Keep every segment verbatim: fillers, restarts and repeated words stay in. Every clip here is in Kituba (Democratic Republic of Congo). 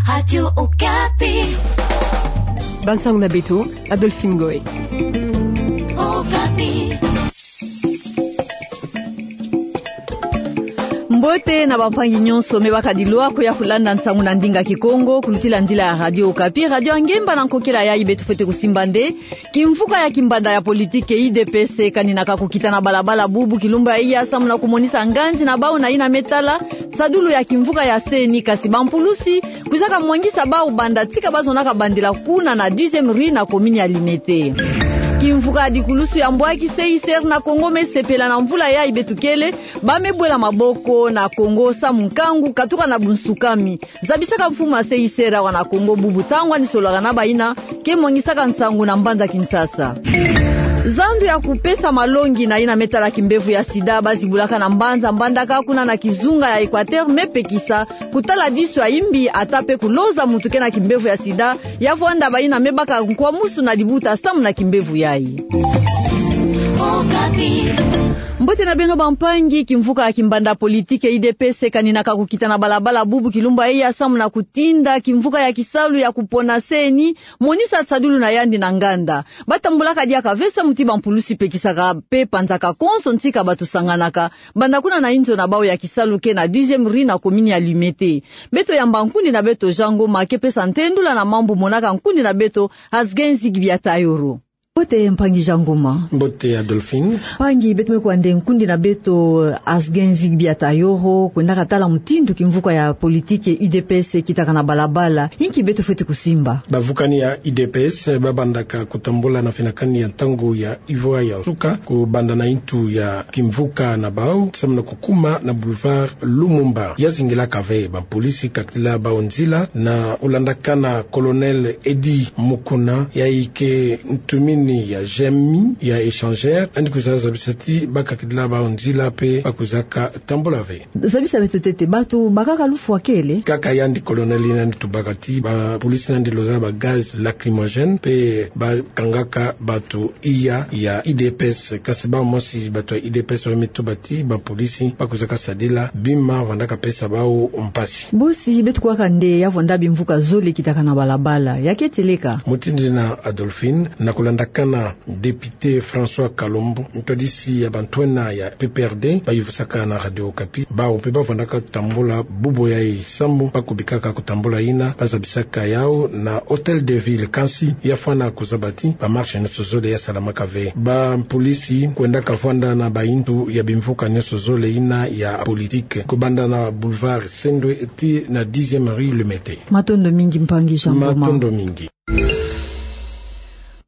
Radio Okapi. Bansango na beto, Adolphine Ngoy. Okapi. Mbote na bampangi nyonso me bakadi lwa kuya kulanda nsangu na ndinga Kikongo, kulutila nzila ya Radio Okapi, radio ya ngemba na nkokela yayi beto fwete kusimba nde kimvuka ya kimbanda ya politike U D P S kaninaka kukita na balabala bubu kilumbu ya iya samu na kumonisa nganzi na bau na yina me tala nsadulu ya kimvuka ya C E N I, kasi bampulusi kwizaka mwangisa bau banda tika bazonaka bandila kuna na deuxième rue na commune ya Limete. Kimvuka ya dikulusu ya mbwaki C I C R na Congo me sepela na mvula yayi beto kele, ba me bwela maboko na Congo samu nkangu katuka na bunsukami. Zabisaka mfumu ya C I C R awa na Congo bubu ntangu andi sololaka na bayina ke mwangisaka nsangu na mbanza Kinshasa. Zandu ya kupesa malongi na yina me tala kimbevo ya sida bazibulaka na mbanza Mbandaka kuna na kizunga ya Equateur me pekisa kutala disu ya imbi ata pe kuloza muntu ke na kimbevo ya sida, ya vwanda bayina me baka nkwamusu na libuta samu na kimbevo yayi. Mbote na beno bampangi, kimvuka ya kimbanda politike U D P S kaninaka kukita na balabala bubu kilumbu ya iya samu na kutinda kimvuka ya kisalu ya kupona C E N I monisa nsadulu na yandi na nganda. Batambulaka diaka ve samu ti bampulusi pekisaka pe panzaka konso ntika bato sanganaka, banda kuna na inzo na bau ya kisalu ke na deuxième rue na commune ya Limete. Beto yamba nkundi na beto Jean Ngoma ke pesa ntendula na mambu monaka nkundi na beto Asgenzi Gibiatayoro. Mbote mpangi Jean Ngoma. Mbote Adolphine. Mpangi, beto me kwande nkundi na beto Asgenzi Gibiatayoro, kwendaka tala mutindu kimvuka ya politike U D P S kitaka na balabala. Inki beto fwete kusimba? Bavukani ya U D P S babandaka kutambula na finakani ya ntangu ya ivwa ya nsuka kubanda na intu ya kimvuka na bau samu na kukuma na boulevard Lumumba. Ya zingilaka ve, bapolisi kakila bau nzila na kulandakana Colonel Eddy Mukuna, yayi ke ntumini ya G M I ya Échangeur, andi kwiza zabisa ti bakakila bau nzila pe bakwizaka tambula ve. Zabisa beto ntete, bato bakaka lufwa kele? Kaka yandi colonel yina andi tubaka ti bapolisi nandi loza ba gaz lacrymogène pe bakangaka bato iya ya U D P S, kasi bau mosi bato ya U D P S ba me tuba ti bapolisi bakwizaka sadila bima vandaka pesa bau mpasi. Bosi, beto kuwaka nde ya vwanda bimvuka zole kitaka na balabala, ya keti leka? Mutindu yina Adolphine, na kulandakana député François Kalombo, ntwadisi ya bantwenya ya P P R D, bayuvisaka na Radio Okapi, bau pe bavwandaka tambula bubu yayi samu bakubikaka kutambula yina bazabisaka yau na Hôtel de Ville, kansi ya fwana kuzaba ti ba marche nyonso zole ya salamaka ve. Bapolisi kwendaka vwanda na baintu ya bimvuka nyonso zole yina ya politique, kubanda na boulevard Sendwe ti na dixième rue Lemete. Matondo mingi mpangi Jean Ngoma. Matondo mingi.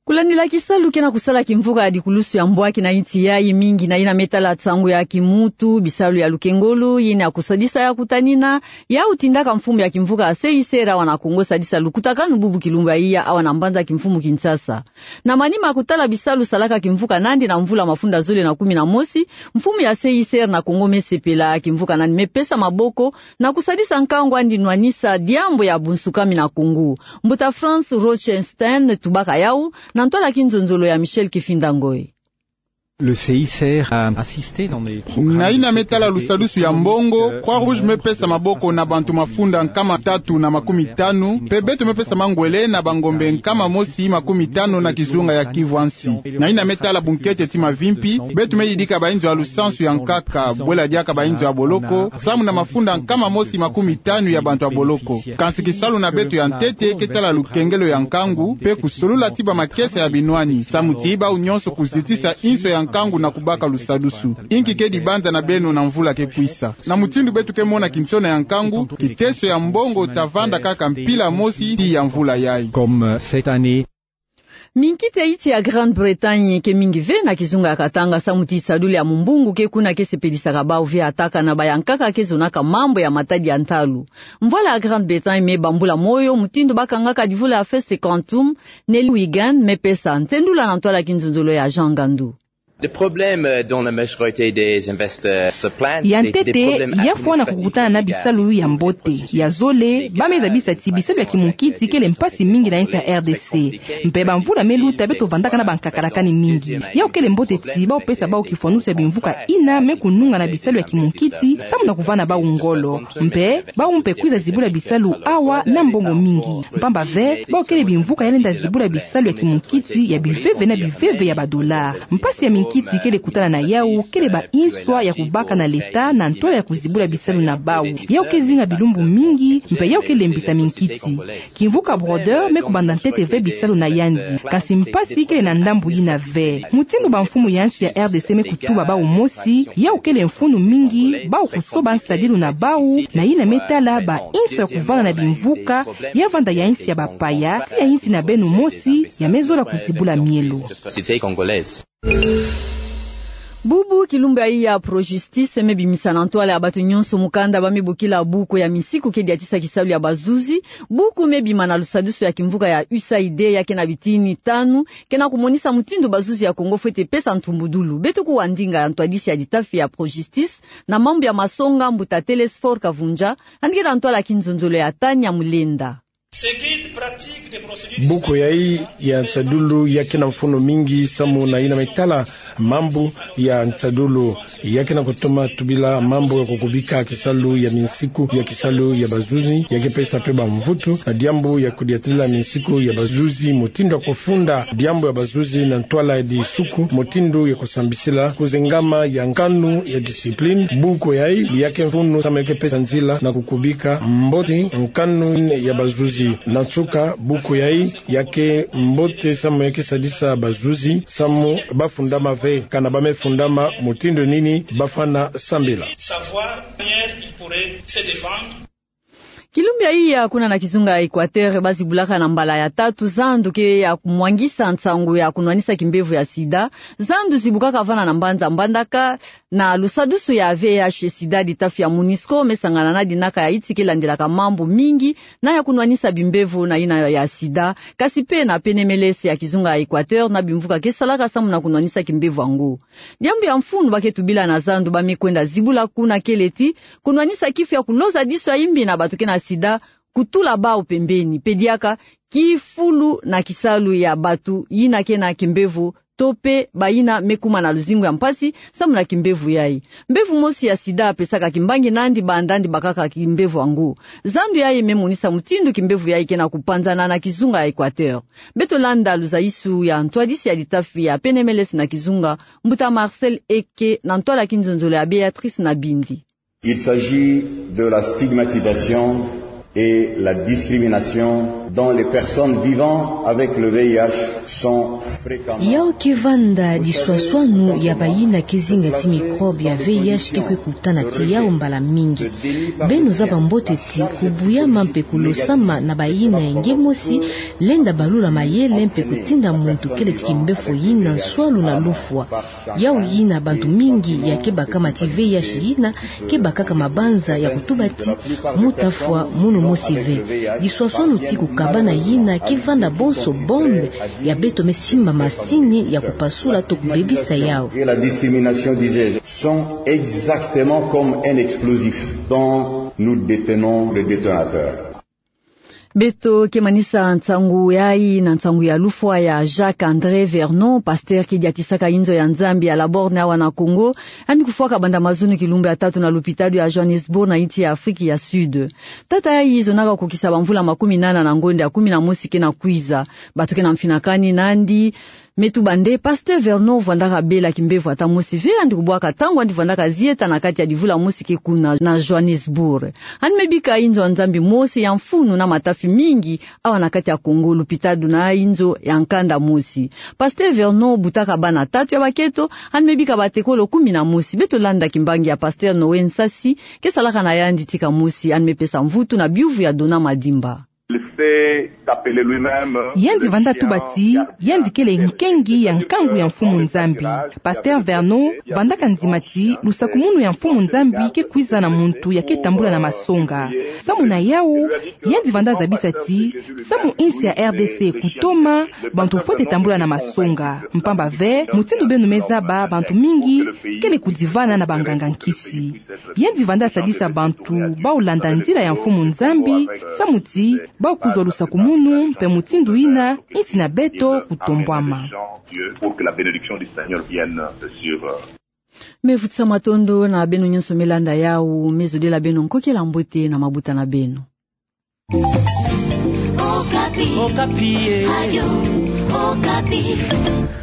Kulandila kisalu ke na kusala kimvuka ya dikulusu ya mbwaki na insi yayi, mingi na yina me tala nsangu ya kimuntu, bisalu ya lukengolo, yina ya kusadisa ya kutanina, yau tindaka mfumu ya kimvuka ya C I C R awa na Congo sadisa lukutakanu bubu kilumbu ya iya awa na mbanza kimfumu Kinshasa. Na manima ya kutala bisalu salaka kimvuka nandi na mvula mafunda zole na kumi na mosi, mfumu ya C I C R na Congo me sepela kimvuka nandi me pesa maboko na kusadisa nkangu andi nwanisa diambu ya bunsukami na Congo. Mbuta Franz Rochenstein tubaka yau na ntwala kinzonzolo ya Michel Kifinda Ngoy. Le C I C R a assisté dans les programmes. Na yina me tala lusadusu ya mbongo, Croix Rouge me pesa maboko na bantu mafunda nkama tatu na makumi tanu, pe beto me pesa mangwele na bangombe nkama mosi makumi tanu na kizunga ya Kivu ya nsi. Na yina me tala bunkete ti mavimpi, beto me yidika bainzo ya lusansu ya nkaka, bwela diaka bainzo ya boloko, samu na mafunda nkama mosi makumi tanu ya bantu ya boloko. Kansi kisalu na beto ya ntete ke tala lukengelo ya nkangu, pe kusolula ti bamakesa ya binwani, samu ti bau nyonso kuzitisa inso ya nkangu na kubaka lusadusu. Inki ke dibanza na beno na mvula ke kwisa? Na mutindu beto ke mona kinsona ya nkangu, kiteso ya mbongo ta vanda kaka mpila mosi tii ya mvula yayi. Comme, euh, cette année. Minkita ya insi ya Grande-Bretagne ke mingi ve na kizunga ya Katanga, samu ti nsadulu ya mumbungu ke kuna ke sepelisaka bau ve, ataka na bayankaka ke zonaka mambu ya matadi ya ntalu. Mvwala ya Grande-Bretagne me bambula moyo mutindu bakangaka divula ya feste Quantum, Nelly Wigan me pesa ntendula na ntwala kinzonzolo ya Jean Ngandu. Le problème dont la majorité des investors se plaignent, ya ntete, ya fwana kukutana na bisalu ya mbote, ya zole, ba me zabisa ti bisalu ya kimunkiti kele mpasi mingi na insi ya R D C. Mpe bamvula me luta beto vandaka na bankakalakani mingi. Yawu kele mbote ti bau pesa bau kifwanusu ya bimvuka ina me kununga na bisalu ya kimunkiti, samu na kuvana bau ngolo. Mpe bau mpe kwiza zibula bisalu awa na mbongo mingi. Mpamba ve, bau kele bimvuka ya lenda zibula bisalu ya kimunkiti ya biveve na biveve ya ba dollars. Mpasi ya minkiti kele kutana na yawu, kele ba inswa ya kubaka na leta na ntwala ya kuzibula bisalu na bau. Yawu ke zinga bilumbu mingi, mpe yawu ke lembisa minkiti. Kimvuka Brodeur me kubanda ntete ve bisalu na yandi. Kasi mpasi kele na ndambu yina ve. Mutindu bamfumu ya insi ya R D C me kutuba bau mosi, yawu kele mfunu mingi, bau kusoba nsadilu na bau, na yina me tala ba inswa ya kuvana na bimvuka, ya vanda ya insi ya bapaya, ti ya insi na beno mosi, ya me zola kuzibula mielo. Bubu kilumbu yayi ya Projustice me bimisa na ntwala ya bato nyonso mukanda ba me bokila buku ya minsiku ke diatisa kisalu ya bazuzi, buku me bima na lusadusu ya kimvuka ya U S A I D ya ke na bitini tanu, ke na kumonisa mutindu bazuzi ya Congo fwete pesa ntumbudulu. Beto kuwa ndinga ya ntwadisi ya litafi ya Projustice na mambu ya masonga, mbuta Telesphore Kavundja, yandi ke na ntwala ya kinzonzolo ya Tania Mulenda. Buku yayi ya nsadulu ya ke na mfunu mingi samu na yina me tala mambu ya nsadulu. Ya ke na kutoma tubila mambu ya kukubika kisalu ya minsiku ya kisalu ya bazuzi, ya ke pesa mpe bamvutu na diambu ya kudiatila minsiku ya bazuzi, mutindu ya kufunda diambu ya bazuzi na ntwala ya disuku, mutindu ya kusambisila, kuzengama ya nkanu ya discipline. Buku yayi ya ke mfunu samu ya ke pesa nzila na kukubika mbote nkanu ya bazuzi. Na nsuka, buku yayi ya ke mbote samu ya ke sadisa bazuzi samu ba fundama ve, kana ba me fundama, mutindu nini ba fwana sambila. Kilumbu yayi ya kuna na kizunga ya Equateur, ba zibulaka na mbala ya tatu zandu ke ya kumwangisa nsangu ya kunwanisa kimbevo ya sida. Zandu zibukaka vana na mbanza Mbandaka na lusadusu ya V I H sida, litafi ya MONUSCO me sangana na dinaka ya insi ke landilaka mambu mingi na ya kunwanisa bimbevo na yina ya sida, kasi mpe na P N M L S ya kizunga ya Equateur na bimvuka ke salaka samu na kunwanisa kimbevo yango. Diambu ya mfunu ba ke tubila na zandu ba me kwenda zibula kuna kele ti kunwanisa kifu ya kuloza disu ya imbi na bato ke na sida, kutula bau pembeni, mpe diaka kifulu na kisalu ya bato yina ke na kimbevo to mpe bayina me kuma na luzingu ya mpasi samu na kimbevo yayi. Mbevo mosi ya sida pesaka kimbangi nandi banda yandi bakaka kimbevo yango. Zandu yayi me monisa mutindu kimbevo yayi ke na kupanzana na kizunga ya Equateur. Beto landa luzayisu ya ntwadisi ya litafi ya P N M L S na kizunga, mbuta Marcel Eke, na ntwala ya kinzonzolo ya Béatrice Nabindi. Il s'agit de la stigmatisation et la discrimination dont les personnes vivant avec le V I H sont fréquemment. Yawu ke vanda diswaswanu ya bayina ke zinga ti microbe ya V I H ke kwe kutana ti yawu mbala mingi. Beno zaba mbote ti kubuyama mpe kulosama na bayina ya nge mosi lenda balula mayele mpe kutinda muntu kele ti kimbefo yina nswalu na lufwa. Yawu yina bantu mingi ya ke bakama ti V I H yina ke bakaka mabanza ya kutuba ti mu tafwa munu mosi ve. Diswaswanu ti kukabana yina ke vanda bonso bombe ya beto me simba masini ya kupasula to kubebisa yawu. Et la discrimination, disais-je, sont exactement comme un explosif dont nous détenons le détonateur. Beto ke manisa nsangu yayi na nsangu ya lufwa ya Jacques André Vernon, pasteur ke diatisaka inzo ya Nzambi ya La Borne awa na Congo. Yandi kufwaka banda mazono kilumbu ya tatu na lupitalu ya Johannesburg na insi ya Afrique ya Sud. Tata yayi zonaka kukisa bamvula makumi nana na ngonda ya kumi na mosi ke na kwiza. Bato ke na mfinakani nandi me tuba nde pasteur Vernon vwandaka bela kimbevo ata mosi ve, yandi kubwaka ntangu yandi vwandaka zieta na kati ya livula mosi ke kuna na Johannesburg. Yandi me bika inzo ya Nzambi mosi ya mfunu na matafi mingi awa na kati ya Congo, lupitalu na inzo ya nkanda mosi. Pasteur Vernon butaka bana tatu ya bakento, yandi me bika batekolo kumi na mosi. Beto landa kimbangi ya pasteur Noé Nsasi, ke salaka na yandi tika mosi, yandi me pesa mvutu na biuvu ya Dona Madimba. Yandi vanda tuba ti yandi kele nkengi ya nkangu ya Mfumu Nzambi. Pasteur Vernon vandaka ndima ti lusakumunu ya Mfumu Nzambi ke kwiza na muntu ya ke tambula na masonga. Samu na yawu, yandi vanda zabisa ti samu insi ya R D C kutoma, bantu fwete tambula na masonga. Mpamba ve, mutindu beno me zaba, bantu mingi kele kudivana na banganga-nkisi. Yandi vanda sadisa bantu bau landa nzila ya Mfumu Nzambi, samu ti bau kuzwa lusakumunu, mpe mutindu yina insi na beto kutombwama. Pour que la bénédiction du Seigneur vienne sur eux. Me futisa matondo na beno nyonso me landa yawu, me zodila beno nkokela mbote na mabuta na beno. Okapi. Okapi, eh. Radio Okapi.